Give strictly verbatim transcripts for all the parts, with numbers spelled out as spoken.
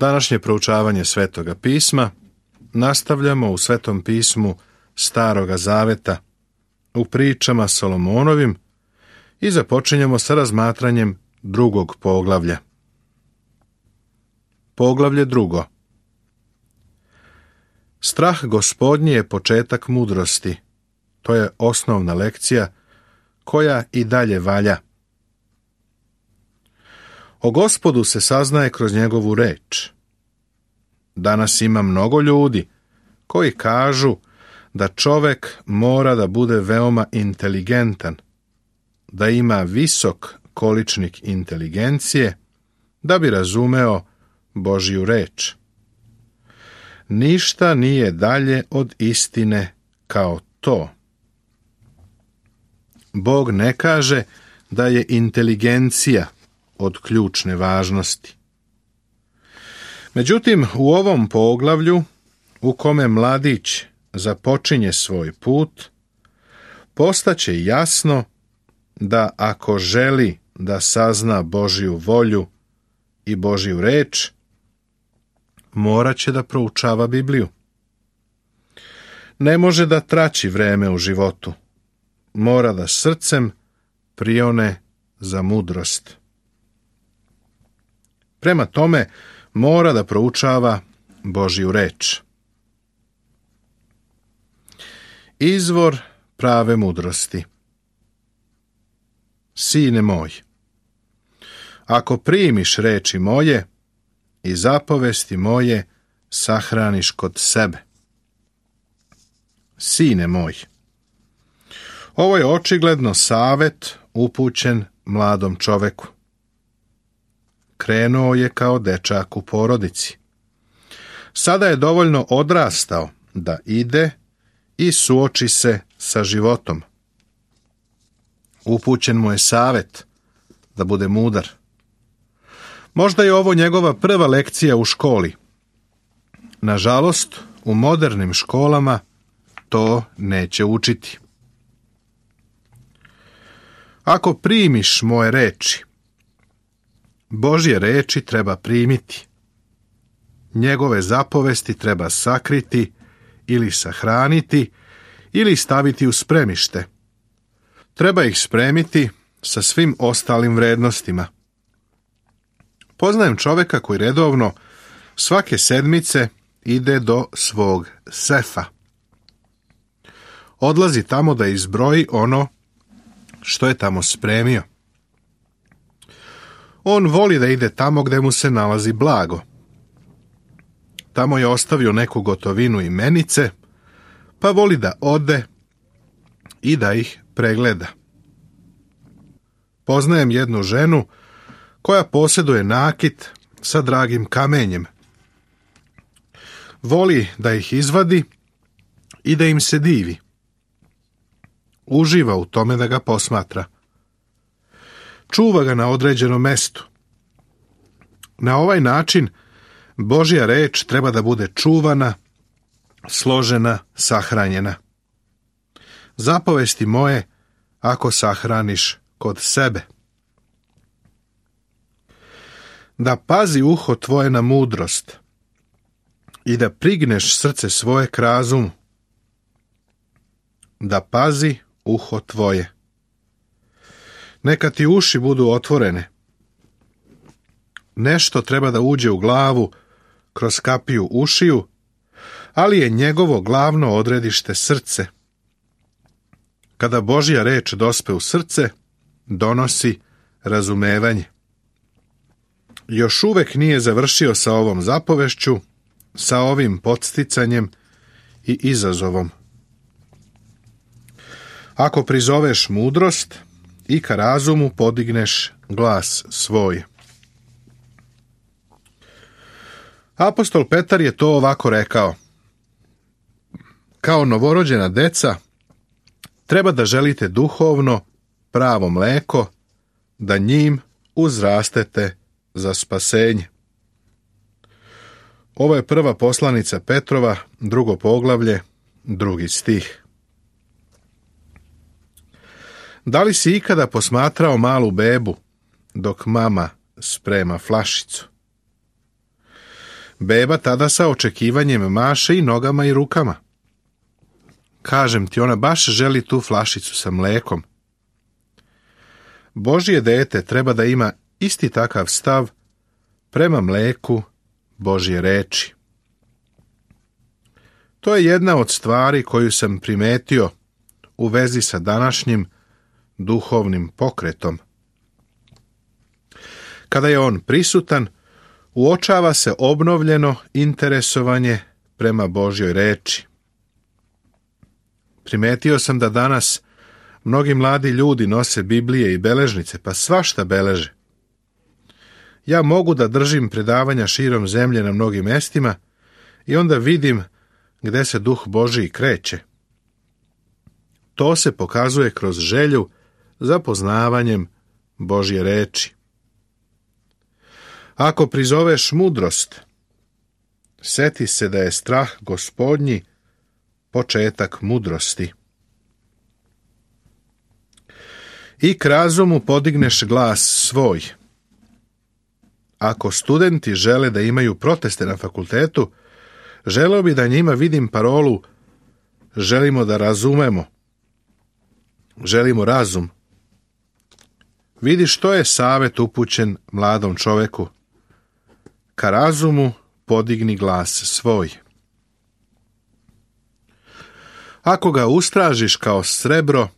Današnje proučavanje Svetoga pisma nastavljamo u Svetom pismu Staroga Zaveta, u pričama Solomonovim i započinjemo sa razmatranjem drugog poglavlja. Poglavlje drugo. Strah Gospodnji je početak mudrosti. To je osnovna lekcija koja i dalje valja. O Gospodu se saznaje kroz njegovu reč. Danas ima mnogo ljudi koji kažu da čovek mora da bude veoma inteligentan, da ima visok količnik inteligencije, da bi razumeo Božju reč. Ništa nije dalje od istine kao to. Bog ne kaže da je inteligencija od ključne važnosti. Međutim, u ovom poglavlju, u kome mladić započinje svoj put, postaće jasno da ako želi da sazna Božju volju i Božju reč, morat će da proučava Bibliju. Ne može da traći vreme u životu. Mora da srcem prione za mudrost. Prema tome, mora da proučava Božju reč. Izvor prave mudrosti. Sine moj, ako primiš reči moje i zapovesti moje sahraniš kod sebe. Sine moj. Ovo je očigledno savet upućen mladom čoveku. Krenuo je kao dečak u porodici. Sada je dovoljno odrastao da ide i suoči se sa životom. Upućen mu je savet da bude mudar. Možda je ovo njegova prva lekcija u školi. Nažalost, u modernim školama to neće učiti. Ako primiš moje reči, Božje reči treba primiti. Njegove zapovesti treba sakriti ili sahraniti ili staviti u spremište. Treba ih spremiti sa svim ostalim vrednostima. Poznajem čoveka koji redovno svake sedmice ide do svog sefa. Odlazi tamo da izbroji ono što je tamo spremio. On voli da ide tamo gde mu se nalazi blago. Tamo je ostavio neku gotovinu i menice, pa voli da ode i da ih pregleda. Poznajem jednu ženu koja posjeduje nakit sa dragim kamenjem. Voli da ih izvadi i da im se divi. Uživa u tome da ga posmatra. Čuva ga na određenom mestu. Na ovaj način Božja reč treba da bude čuvana, složena, sahranjena. Zapovesti moje ako sahraniš kod sebe. Da pazi uho tvoje na mudrost i da prigneš srce svoje k razumu. Da pazi uho tvoje. Neka ti uši budu otvorene. Nešto treba da uđe u glavu kroz kapiju ušiju, ali je njegovo glavno odredište srce. Kada Božja reč dospe u srce, donosi razumevanje. Još uvek nije završio sa ovom zapovešću, sa ovim podsticanjem i izazovom. Ako prizoveš mudrost i ka razumu podigneš glas svoj. Apostol Petar je to ovako rekao. Kao novorođena deca, treba da želite duhovno, pravo mleko, da njim uzrastete za spasenje. Ovo je prva poslanica Petrova, drugo poglavlje, drugi stih. Da li si ikada posmatrao malu bebu dok mama sprema flašicu? Beba tada sa očekivanjem maše i nogama i rukama. Kažem ti, ona baš želi tu flašicu sa mlekom. Božje dete treba da ima isti takav stav prema mleku Božje reči. To je jedna od stvari koju sam primetio u vezi sa današnjim duhovnim pokretom. Kada je on prisutan, uočava se obnovljeno interesovanje prema Božjoj reči. Primetio sam da danas mnogi mladi ljudi nose Biblije i beležnice, pa svašta beleže. Ja mogu da držim predavanja širom zemlje na mnogim mestima i onda vidim gde se Duh Božji kreće. To se pokazuje kroz želju za poznavanjem Božje reči. Ako prizoveš mudrost, seti se da je strah Gospodnji početak mudrosti. I k razumu podigneš glas svoj. Ako studenti žele da imaju proteste na fakultetu, želeo bi da njima vidim parolu želimo da razumemo. Želimo razum. Vidi što je savet upućen mladom čoveku. Ka razumu podigni glas svoj. Ako ga ustražiš kao srebro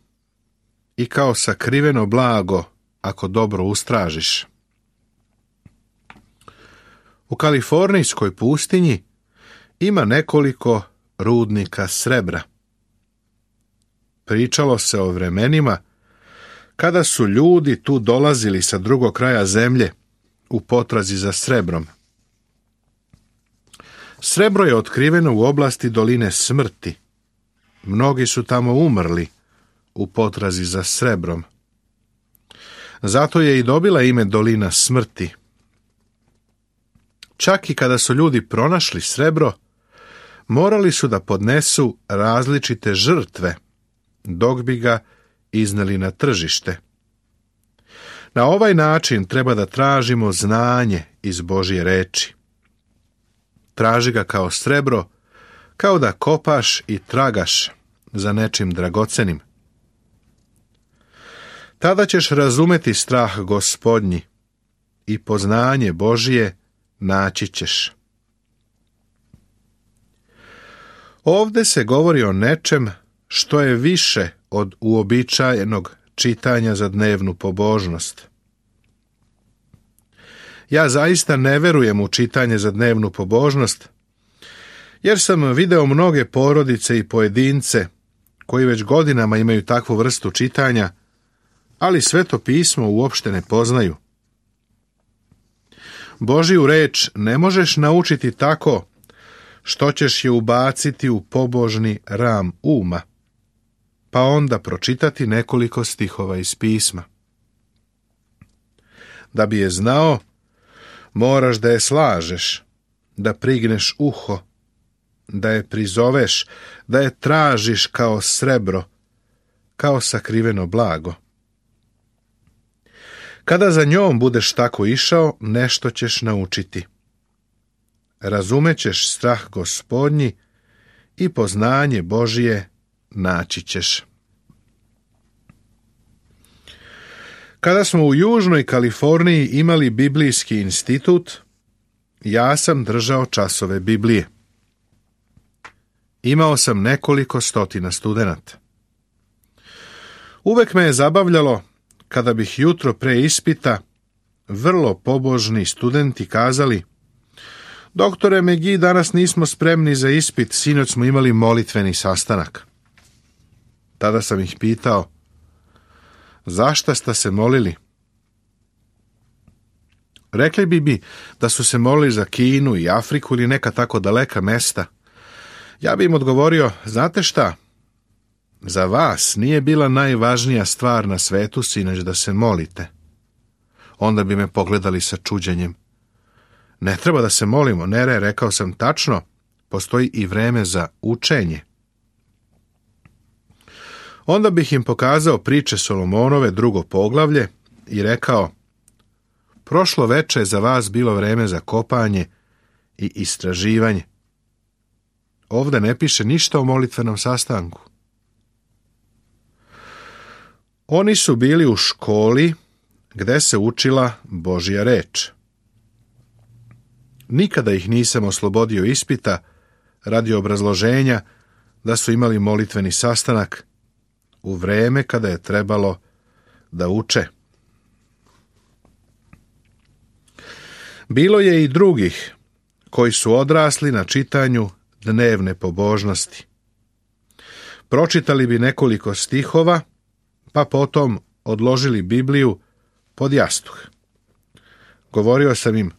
i kao sakriveno blago, ako dobro ustražiš. U kalifornijskoj pustinji ima nekoliko rudnika srebra. Pričalo se o vremenima kada su ljudi tu dolazili sa drugog kraja zemlje u potrazi za srebrom. Srebro je otkriveno u oblasti doline smrti. Mnogi su tamo umrli u potrazi za srebrom. Zato je i dobila ime dolina smrti. Čak i kada su ljudi pronašli srebro, morali su da podnesu različite žrtve, dok bi ga izneli na tržište. Na ovaj način treba da tražimo znanje iz Božje reči. Traži ga kao srebro, kao da kopaš i tragaš za nečim dragocenim. Tada ćeš razumeti strah Gospodnji i poznanje Božje naći ćeš. Ovde se govori o nečem što je više od uobičajenog čitanja za dnevnu pobožnost. Ja zaista ne verujem u čitanje za dnevnu pobožnost, jer sam video mnoge porodice i pojedince koji već godinama imaju takvu vrstu čitanja, ali Sveto pismo uopšte ne poznaju. Božju reč ne možeš naučiti tako što ćeš je ubaciti u pobožni ram uma, pa onda pročitati nekoliko stihova iz pisma. Da bi je znao, moraš da je slažeš, da prigneš uho, da je prizoveš, da je tražiš kao srebro, kao sakriveno blago. Kada za njom budeš tako išao, nešto ćeš naučiti. Razumećeš strah Gospodnji i poznanje Božije naći ćeš. Kada smo u Južnoj Kaliforniji imali biblijski institut, ja sam držao časove Biblije. Imao sam nekoliko stotina studenata. Uvek me je zabavljalo kada bih jutro pre ispita vrlo pobožni studenti kazali: Doktore Megi, danas nismo spremni za ispit, sinoć smo imali molitveni sastanak. Tada sam ih pitao: zašta ste se molili? Rekli bi mi da su se molili za Kinu i Afriku ili neka tako daleka mesta. Ja bi im odgovorio: znate šta? Za vas nije bila najvažnija stvar na svetu sinoć da se molite. Onda bi me pogledali sa čuđenjem. Ne treba da se molimo, Nere, rekao sam tačno, postoji i vreme za učenje. Onda bih im pokazao priče Solomonove, drugo poglavlje, i rekao: prošlo veče je za vas bilo vreme za kopanje i istraživanje. Ovdje ne piše ništa o molitvenom sastanku. Oni su bili u školi gde se učila Božja reč. Nikada ih nisam oslobodio ispita radi obrazloženja da su imali molitveni sastanak u vreme kada je trebalo da uče. Bilo je i drugih koji su odrasli na čitanju dnevne pobožnosti. Pročitali bi nekoliko stihova, pa potom odložili Bibliju pod jastuh. Govorio sam im,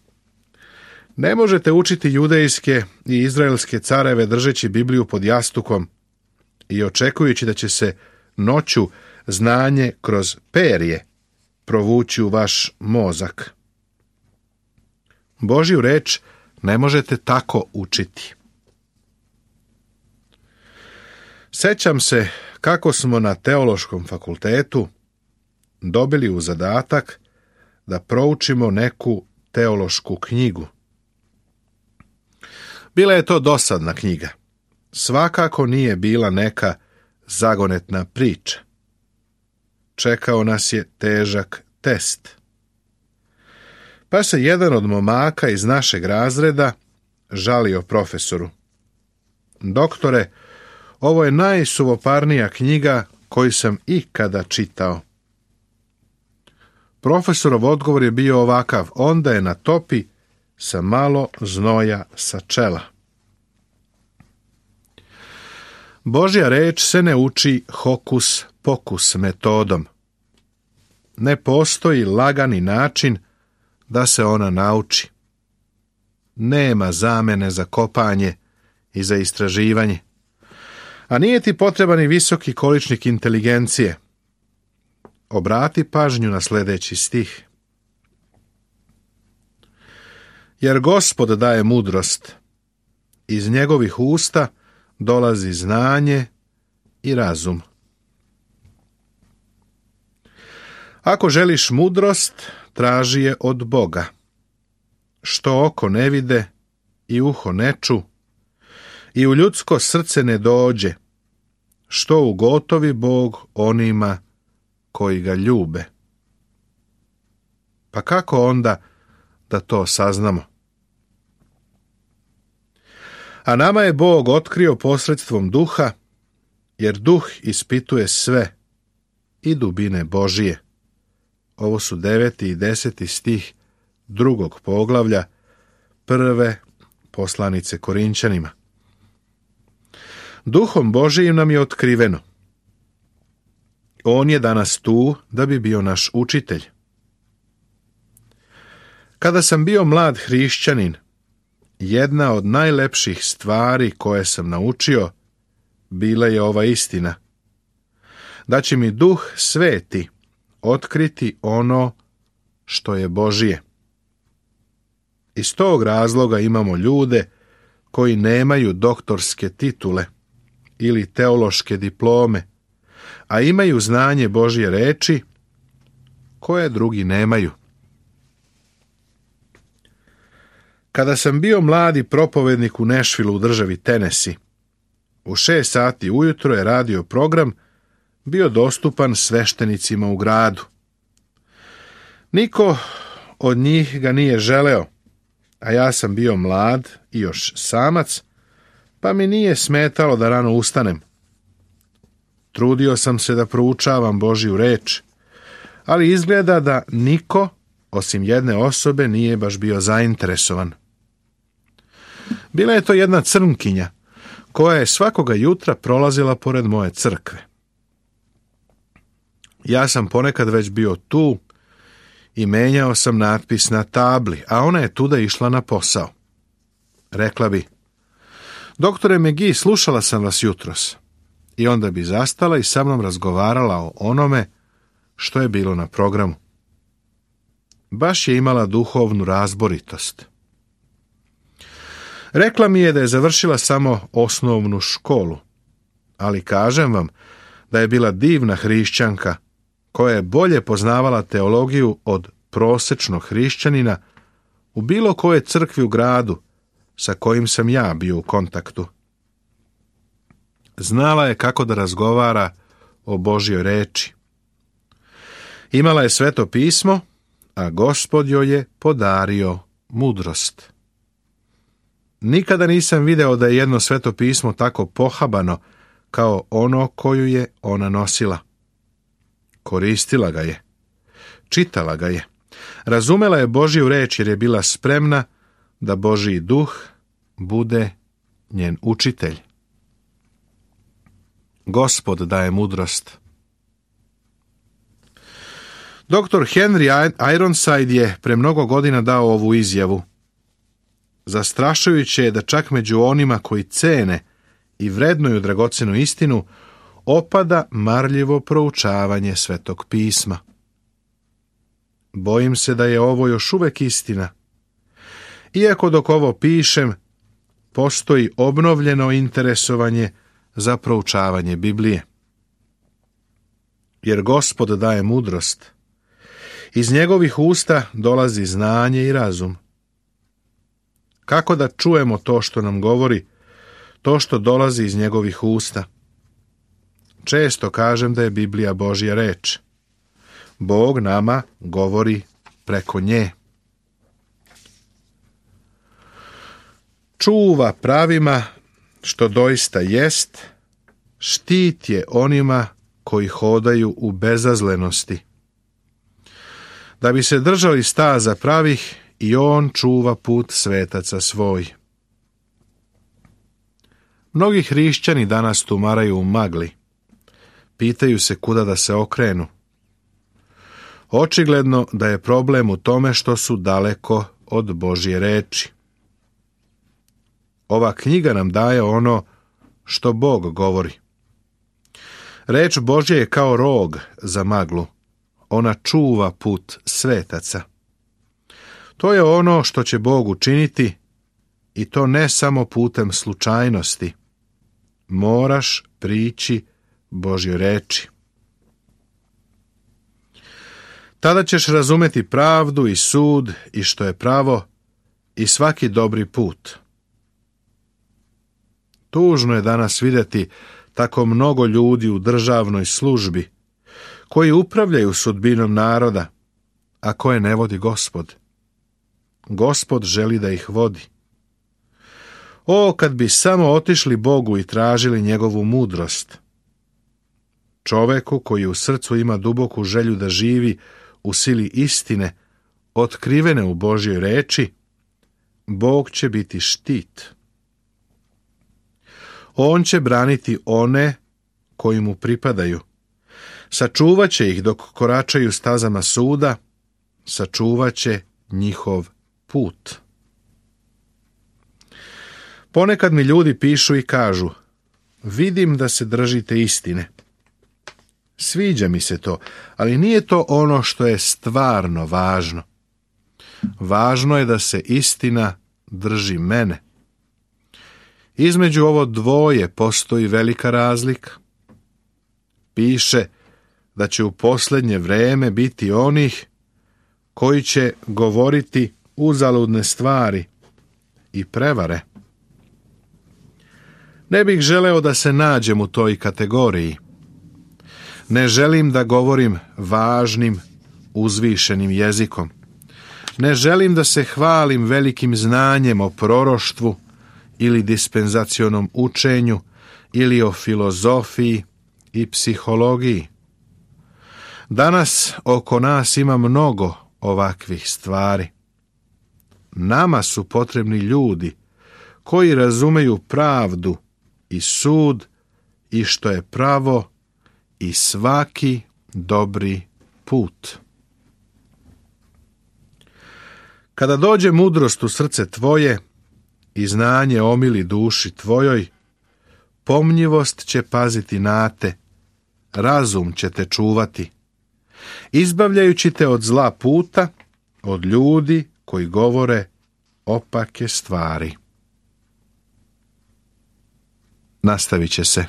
ne možete učiti judejske i izraelske careve držeći Bibliju pod jastukom i očekujući da će se noću znanje kroz perje provući u vaš mozak. Božju reč ne možete tako učiti. Sećam se kako smo na teološkom fakultetu dobili u zadatak da proučimo neku teološku knjigu. Bila je to dosadna knjiga. Svakako nije bila neka zagonetna priča. Čekao nas je težak test. Pa se jedan od momaka iz našeg razreda žalio profesoru. Doktore, ovo je najsuvoparnija knjiga koju sam ikada čitao. Profesorov odgovor je bio ovakav, onda je na topi sa malo znoja sa čela. Božja reč se ne uči hokus pokus metodom. Ne postoji lagani način da se ona nauči. Nema zamene za kopanje i za istraživanje. A nije ti potreban i visoki količnik inteligencije. Obrati pažnju na sljedeći stih. Jer Gospod daje mudrost. Iz njegovih usta dolazi znanje i razum. Ako želiš mudrost, traži je od Boga. Što oko ne vide i uho ne ču, i u ljudsko srce ne dođe, što ugotovi Bog onima koji ga ljube. Pa kako onda da to saznamo? A nama je Bog otkrio posredstvom duha, jer duh ispituje sve i dubine Božije. Ovo su deveti i deseti stih drugog poglavlja prve poslanice Korinćanima. Duhom Božijim nam je otkriveno. On je danas tu da bi bio naš učitelj. Kada sam bio mlad hrišćanin, jedna od najlepših stvari koje sam naučio bila je ova istina. Da će mi Duh Sveti otkriti ono što je Božije. Iz tog razloga imamo ljude koji nemaju doktorske titule ili teološke diplome, a imaju znanje Božje reči koje drugi nemaju. Kada sam bio mladi propovednik u Nashvilleu u državi Tennessee, u šest sati ujutro je radio program bio dostupan sveštenicima u gradu. Niko od njih ga nije želeo, a ja sam bio mlad i još samac, pa mi nije smetalo da rano ustanem. Trudio sam se da proučavam Božju reč, ali izgleda da niko, osim jedne osobe, nije baš bio zainteresovan. Bila je to jedna crnkinja, koja je svakoga jutra prolazila pored moje crkve. Ja sam ponekad već bio tu i menjao sam natpis na tabli, a ona je tuda išla na posao. Rekla bi, doktore McGee, slušala sam vas jutros. I onda bi zastala i sa mnom razgovarala o onome što je bilo na programu. Baš je imala duhovnu razboritost. Rekla mi je da je završila samo osnovnu školu, ali kažem vam da je bila divna hrišćanka koja je bolje poznavala teologiju od prosečnog hrišćanina u bilo kojoj crkvi u gradu, sa kojim sam ja bio u kontaktu. Znala je kako da razgovara o Božjoj reči. Imala je Sveto pismo, a Gospod joj je podario mudrost. Nikada nisam video da je jedno Sveto pismo tako pohabano kao ono koju je ona nosila. Koristila ga je, čitala ga je, razumela je Božju reč jer je bila spremna da Božji duh bude njen učitelj. Gospod daje mudrost. Doktor Henry Ironside je pre mnogo godina dao ovu izjavu. Zastrašujuće je da čak među onima koji cene i vrednuju dragocenu istinu opada marljivo proučavanje Svetog pisma. Bojim se da je ovo još uvek istina. Iako dok ovo pišem, postoji obnovljeno interesovanje za proučavanje Biblije. Jer Gospod daje mudrost. Iz njegovih usta dolazi znanje i razum. Kako da čujemo to što nam govori, to što dolazi iz njegovih usta? Često kažem da je Biblija Božja reč. Bog nama govori preko nje. Čuva pravima što doista jest, štit je onima koji hodaju u bezazlenosti. Da bi se držali staza pravih, i on čuva put svetaca svoj. Mnogi hrišćani danas tumaraju u magli. Pitaju se kuda da se okrenu. Očigledno da je problem u tome što su daleko od Božje reči. Ova knjiga nam daje ono što Bog govori. Reč Božja je kao rog za maglu. Ona čuva put svetaca. To je ono što će Bog učiniti, i to ne samo putem slučajnosti. Moraš prići Božjoj reči. Tada ćeš razumeti pravdu i sud i što je pravo i svaki dobri put. Tužno je danas vidjeti tako mnogo ljudi u državnoj službi koji upravljaju sudbinom naroda, a koje ne vodi Gospod. Gospod želi da ih vodi. O, kad bi samo otišli Bogu i tražili njegovu mudrost. Čoveku koji u srcu ima duboku želju da živi u sili istine, otkrivene u Božjoj reči, Bog će biti štit. On će braniti one koji mu pripadaju. Sačuvat će ih dok koračaju stazama suda, sačuvat će njihov put. Ponekad mi ljudi pišu i kažu: vidim da se držite istine. Sviđa mi se to, ali nije to ono što je stvarno važno. Važno je da se istina drži mene. Između ovo dvoje postoji velika razlika. Piše da će u posljednje vreme biti onih koji će govoriti uzaludne stvari i prevare. Ne bih želeo da se nađem u toj kategoriji. Ne želim da govorim važnim, uzvišenim jezikom. Ne želim da se hvalim velikim znanjem o proroštvu ili dispenzacionom učenju ili o filozofiji i psihologiji. Danas oko nas ima mnogo ovakvih stvari. Nama su potrebni ljudi koji razumeju pravdu i sud i što je pravo i svaki dobri put. Kada dođe mudrost u srce tvoje i znanje omili duši tvojoj, pomnjivost će paziti na te, razum će te čuvati, izbavljajući te od zla puta, od ljudi koji govore opake stvari. Nastavit će se.